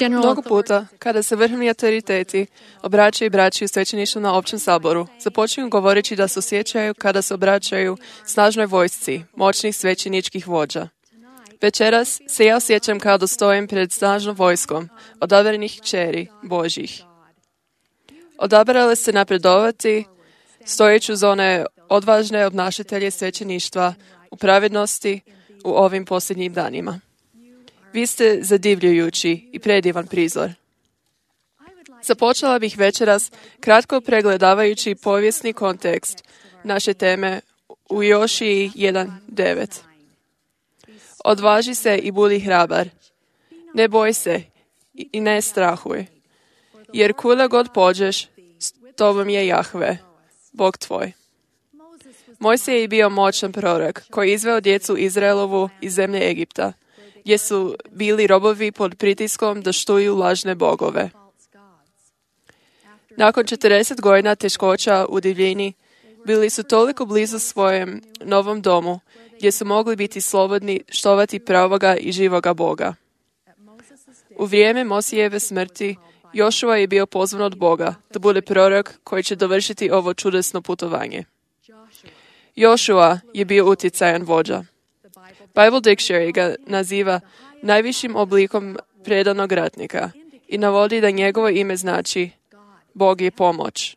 Mnogo puta, kada se vrhovni autoriteti obraćaju braći u svećeništvu na općem saboru, započinju govoreći da se osjećaju kada se obraćaju snažnoj vojsci, moćnih svećeničkih vođa. Večeras se ja osjećam kao da stojim pred snažnom vojskom odabranih kćeri Božjih. Odabrale se napredovati, stojeći uz one odvažne obnašatelje svećeništva u pravednosti u ovim posljednjim danima. Vi ste zadivljujući i predivan prizor. Započela bih večeras kratko pregledavajući povijesni kontekst naše teme u Jošiji 1.9. Odvaži se i budi hrabar. Ne boj se i ne strahuj. Jer kuda god pođeš, s tobom je Jahve, Bog tvoj. Mojsije je bio moćan prorok koji je izveo djecu Izraelovu iz zemlje Egipta, gdje su bili robovi pod pritiskom da štuju lažne bogove. Nakon 40 godina teškoća u divljini, bili su toliko blizu svojem novom domu, gdje su mogli biti slobodni štovati pravoga i živoga Boga. U vrijeme Mosijeve smrti, Jošua je bio pozvan od Boga da bude prorok koji će dovršiti ovo čudesno putovanje. Jošua je bio utjecajan vođa. Bible Dictionary ga naziva najvišim oblikom predanog ratnika i navodi da njegovo ime znači Bog je pomoć.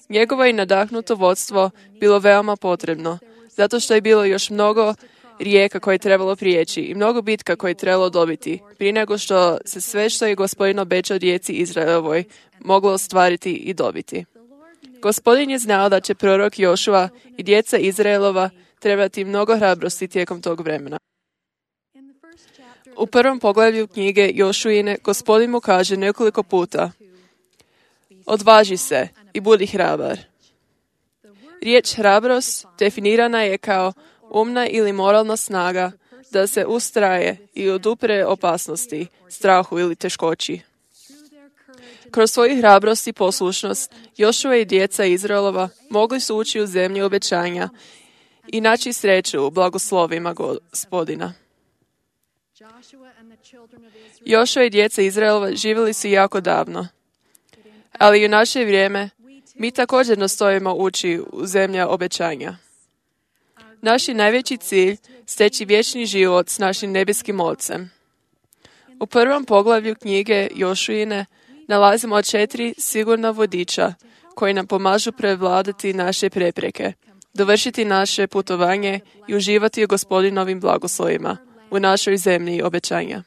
Njegovo je nadahnuto vodstvo bilo veoma potrebno, zato što je bilo još mnogo rijeka koje je trebalo prijeći i mnogo bitka koje je trebalo dobiti, prije nego što se sve što je Gospodin obećao djeci Izraelovoj moglo ostvariti i dobiti. Gospodin je znao da će prorok Jošua i djeca Izraelova trebati mnogo hrabrosti tijekom tog vremena. U prvom poglavlju knjige Jošuine Gospodin mu kaže nekoliko puta: odvaži se i budi hrabar. Riječ hrabrost definirana je kao umna ili moralna snaga da se ustraje i odupre opasnosti, strahu ili teškoći. Kroz svoju hrabrost i poslušnost, Jošua i djeca Izraelova mogli su ući u zemlju obećanja i naći sreću u blagoslovima Gospodina. Jošua i djeca Izraelova živjeli su jako davno, ali u naše vrijeme mi također nastojimo ući u zemlja obećanja. Naš je najveći cilj steći vječni život s našim nebeskim Ocem. U prvom poglavlju knjige Jošuine nalazimo 4 sigurna vodiča koji nam pomažu prevladati naše prepreke, dovršiti naše putovanje i uživati u Gospodinovim blagoslovima u našoj zemlji obećanja.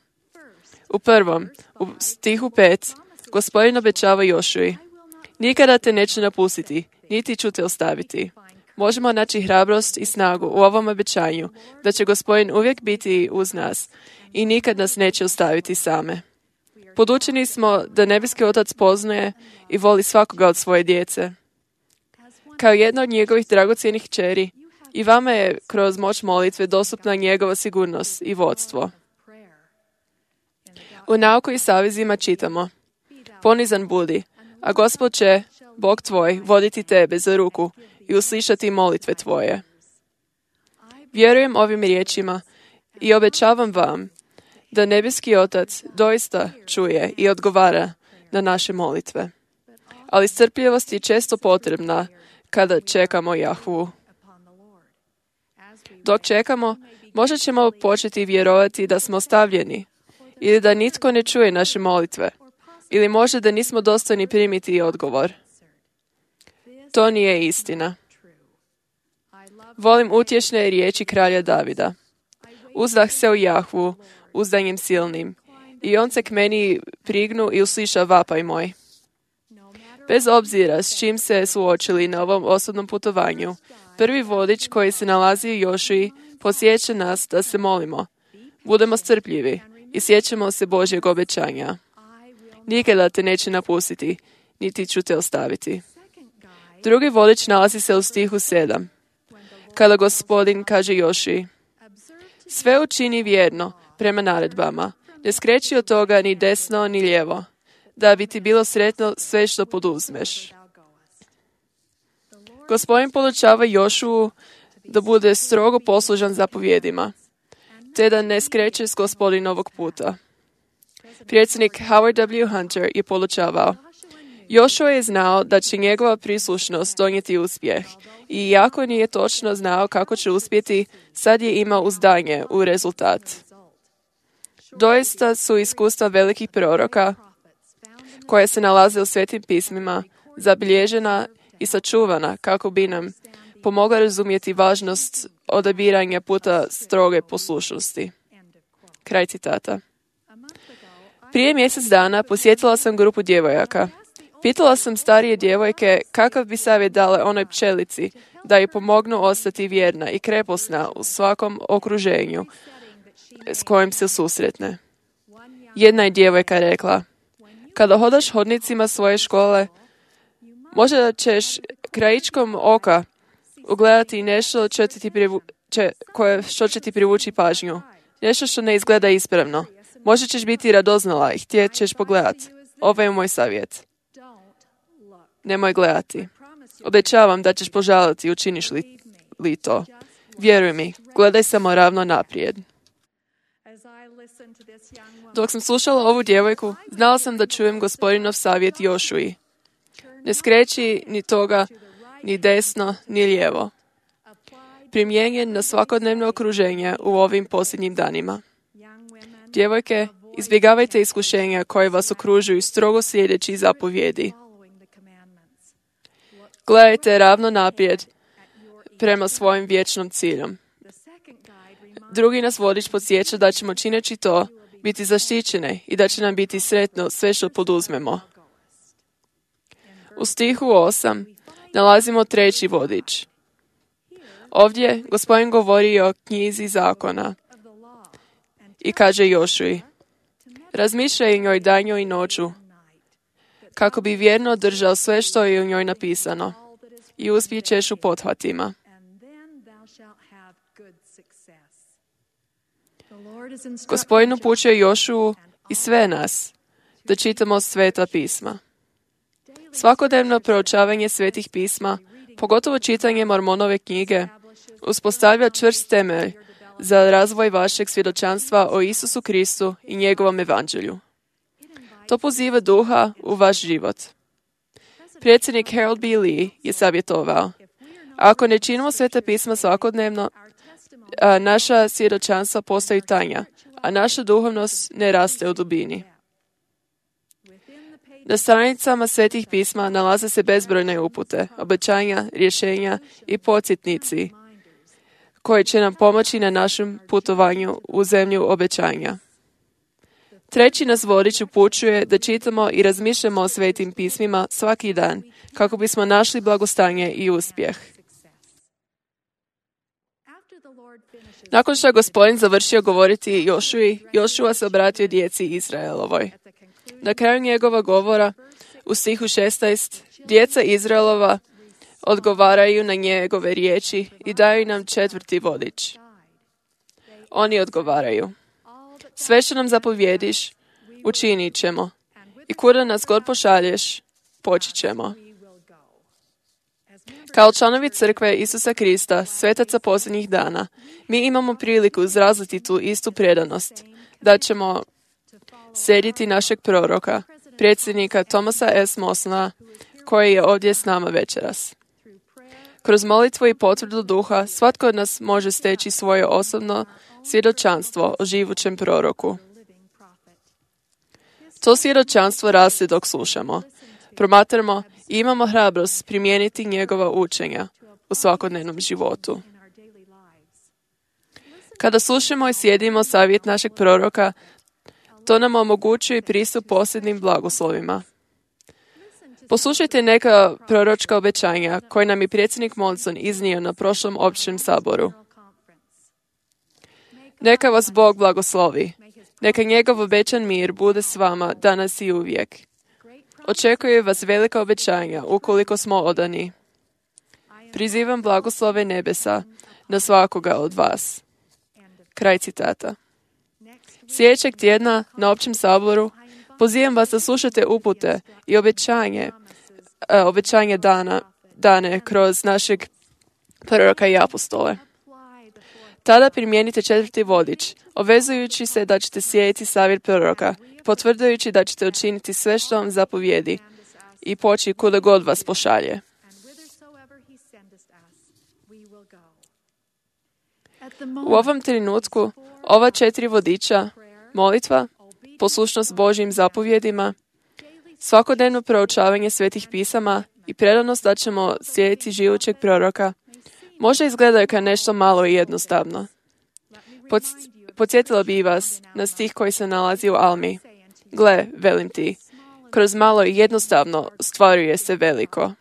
U prvom, u stihu 5, Gospodin obećava Jošui: nikada te neću napustiti, niti ću te ostaviti. Možemo naći hrabrost i snagu u ovom obećanju da će Gospodin uvijek biti uz nas i nikad nas neće ostaviti same. Podučeni smo da nebeski Otac poznaje i voli svakoga od svoje djece. Kao jedna od njegovih dragocjenih kćeri, i vama je kroz moć molitve dostupna njegova sigurnost i vodstvo. U Nauku i savezima čitamo: ponizan budi, a Gospod će, Bog tvoj, voditi tebe za ruku i uslišati molitve tvoje. Vjerujem ovim riječima i obećavam vam da nebeski Otac doista čuje i odgovara na naše molitve. Ali strpljivost je često potrebna kada čekamo Jahvu. Dok čekamo, možda ćemo početi vjerovati da smo ostavljeni ili da nitko ne čuje naše molitve ili možda da nismo dostojni primiti odgovor. To nije istina. Volim utješne riječi kralja Davida: uzdah se u Jahvu, uzdanjem silnim, i on se k meni prignu i usliša vapaj moj. Bez obzira s čim se suočili na ovom osobnom putovanju, prvi vodič koji se nalazi u Jošiji posjeća nas da se molimo, budemo strpljivi i sjećamo se Božjeg obećanja: nikada te neće napustiti, niti ću te ostaviti. Drugi vodič nalazi se u stihu 7, kada Gospodin kaže Jošiji: sve učini vjerno prema naredbama, ne skreći od toga ni desno ni lijevo, da bi ti bilo sretno sve što poduzmeš. Gospodin podučava Jošuu da bude strogo poslužan zapovjedima, te da ne skreće s Gospodinovog puta. Predsjednik Howard W. Hunter je podučavao: Jošua je znao da će njegova prislušnost donijeti uspjeh i iako nije točno znao kako će uspjeti, sad je imao uzdanje u rezultat. Doista su iskustva velikih proroka koja se nalaze u Svetim pismima zabilježena i sačuvana kako bi nam pomogla razumjeti važnost odabiranja puta stroge poslušnosti. Kraj citata. Prije mjesec dana posjetila sam grupu djevojaka. Pitala sam starije djevojke kakav bi savjet dale onoj pčelici da joj pomognu ostati vjerna i kreposna u svakom okruženju s kojim se susretne. Jedna je djevojka rekla: kada hodaš hodnicima svoje škole, možda ćeš krajičkom oka ugledati nešto što će ti privući pažnju. Nešto što ne izgleda ispravno. Možda ćeš biti radoznala i htjet ćeš pogledati. Ovo je moj savjet. Nemoj gledati. Obećavam da ćeš požaliti učiniš li to. Vjeruj mi, gledaj samo ravno naprijed. Dok sam slušala ovu djevojku, znala sam da čujem Gospodinov savjet Jošui. Ne skreći ni toga, ni desno, ni lijevo. Primijenjen na svakodnevno okruženje u ovim posljednjim danima. Djevojke, izbjegavajte iskušenja koje vas okružuju strogo slijedeći zapovjedi. Gledajte ravno naprijed prema svojim vječnom ciljom. Drugi nas vodič podsjeća da ćemo čineći to biti zaštićene i da će nam biti sretno sve što poduzmemo. U stihu 8 nalazimo treći vodič. Ovdje Gospodin govori o knjizi zakona i kaže Jošui: razmišljaj o njoj danju i noću, kako bi vjerno držao sve što je u njoj napisano i uspjet ćeš u pothvatima. Gospodin upućuje Jošuu i sve nas da čitamo Sveta pisma. Svakodnevno proučavanje Svetih pisma, pogotovo čitanje Mormonove knjige, uspostavlja čvrst temelj za razvoj vašeg svjedočanstva o Isusu Kristu i njegovom evanđelju. To poziva duha u vaš život. Predsjednik Harold B. Lee je savjetovao: ako ne činimo Sveta pisma svakodnevno, naša svjedočanstva postaju tanja, a naša duhovnost ne raste u dubini. Na stranicama Svetih pisma nalaze se bezbrojne upute, obećanja, rješenja i podsjetnici koji će nam pomoći na našem putovanju u zemlju obećanja. Treći nas vodič upućuje da čitamo i razmišljamo o Svetim pismima svaki dan kako bismo našli blagostanje i uspjeh. Nakon što je Gospodin završio govoriti Jošui, Jošua se obratio djeci Izraelovoj. Na kraju njegova govora, u stihu 16, djeca Izraelova odgovaraju na njegove riječi i daju nam četvrti vodič. Oni odgovaraju: sve što nam zapovjediš, učinit ćemo. I kuda nas god pošalješ, poći ćemo. Kao članovi crkve Isusa Krista, svetaca posljednjih dana, mi imamo priliku izraziti tu istu predanost, da ćemo slijediti našeg proroka, predsjednika Thomasa S. Mosona, koji je ovdje s nama večeras. Kroz molitvu i potvrdu duha, svatko od nas može steći svoje osobno svjedočanstvo o živućem proroku. To svjedočanstvo raste dok slušamo, promatramo i imamo hrabrost primijeniti njegova učenja u svakodnevnom životu. Kada slušamo i slijedimo savjet našeg proroka, to nam omogućuje pristup posljednim blagoslovima. Poslušajte neka proročka obećanja koje nam je predsjednik Monson iznio na prošlom općem saboru. Neka vas Bog blagoslovi. Neka njegov obećan mir bude s vama danas i uvijek. Očekuje vas velika obećanja ukoliko smo odani. Prizivam blagoslove nebesa na svakoga od vas. Kraj citata. Sljedećeg tjedna na općem saboru pozivam vas da slušate upute i obećanje dane kroz našeg proroka i apostole. Tada primijenite četvrti vodič, obvezujući se da ćete slijediti savjet proroka potvrđujući da ćete učiniti sve što vam zapovjedi i poći kuda god vas pošalje. U ovom trenutku, ova 4 vodiča, molitva, poslušnost Božjim zapovjedima, svakodnevno proučavanje svetih pisama i predanost da ćemo slijediti živućeg proroka, možda izgledaju kao nešto malo i jednostavno. Podsjetila bi vas na stih koji se nalazi u Almi. Gle, velim ti, kroz malo i jednostavno stvaruje se veliko.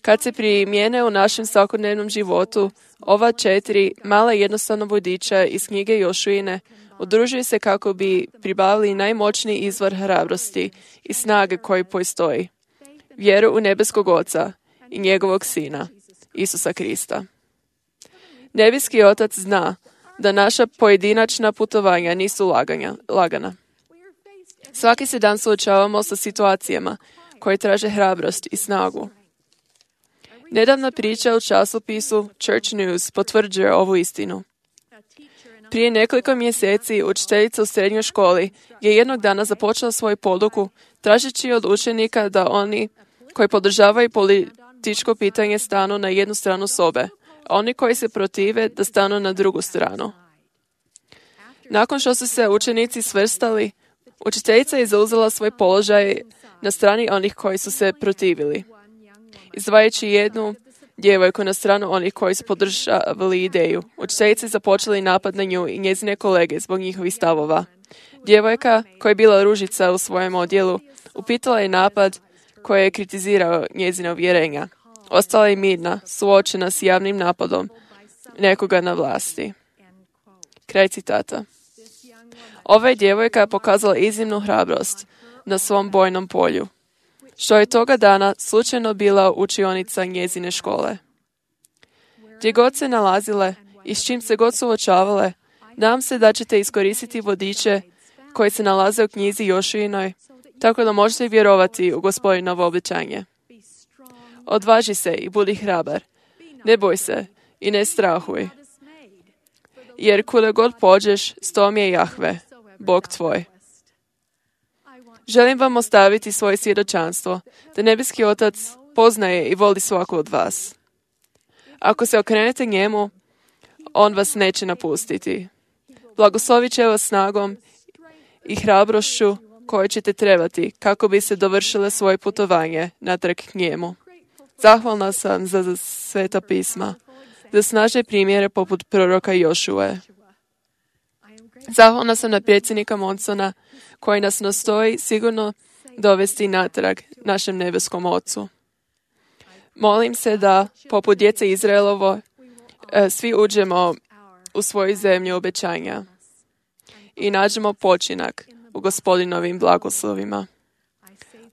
Kad se primijene u našem svakodnevnom životu, ova 4 mala jednostavna vodiča iz knjige Jošuine udružuju se kako bi pribavili najmoćniji izvor hrabrosti i snage koji postoji. Vjeru u nebeskog Oca i njegovog Sina, Isusa Krista. Nebeski Otac zna da naša pojedinačna putovanja nisu lagana. Svaki se dan suočavamo sa situacijama koje traže hrabrost i snagu. Nedavna priča u časopisu Church News potvrđuje ovu istinu. Prije nekoliko mjeseci učiteljica u srednjoj školi je jednog dana započela svoju poduku tražeći od učenika da oni koji podržavaju političko pitanje stanu na jednu stranu sobe, a oni koji se protive da stanu na drugu stranu. Nakon što su se učenici svrstali, učiteljica je zauzela svoj položaj na strani onih koji su se protivili, izdvajajući jednu djevojku na stranu onih koji su podržavali ideju. Učiteljice započeli napad na nju i njezine kolege zbog njihovih stavova. Djevojka, koja je bila ružica u svojem odjelu, upitala je napad koji je kritizirao njezina uvjerenja. Ostala je mirna, suočena s javnim napadom nekoga na vlasti. Kraj citata. Ova je djevojka pokazala iznimnu hrabrost na svom bojnom polju, što je toga dana slučajno bila učionica njezine škole. Gdje god se nalazile i s čim se god suočavale, nadam se da ćete iskoristiti vodiče koji se nalaze u knjizi Jošuinoj, tako da možete vjerovati u Gospodinovo obećanje. Odvaži se i budi hrabar. Ne boj se i ne strahuj. Jer kuda god pođeš, s tom je Jahve, Bog tvoj. Želim vam ostaviti svoje svjedočanstvo, da nebeski Otac poznaje i voli svaku od vas. Ako se okrenete njemu, on vas neće napustiti. Blagoslovit će vas snagom i hrabrošću koje ćete trebati kako bi se dovršile svoje putovanje natrag k njemu. Zahvalna sam za sveta pisma, za snažne primjere poput proroka Jošue. Zahvalna sam na predsjednika Monsona koji nas nastoji sigurno dovesti natrag našem nebeskom Ocu. Molim se da, poput djece Izraelovo, svi uđemo u svoju zemlju obećanja i nađemo počinak u Gospodinovim blagoslovima.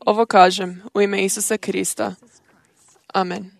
Ovo kažem u ime Isusa Krista. Amen.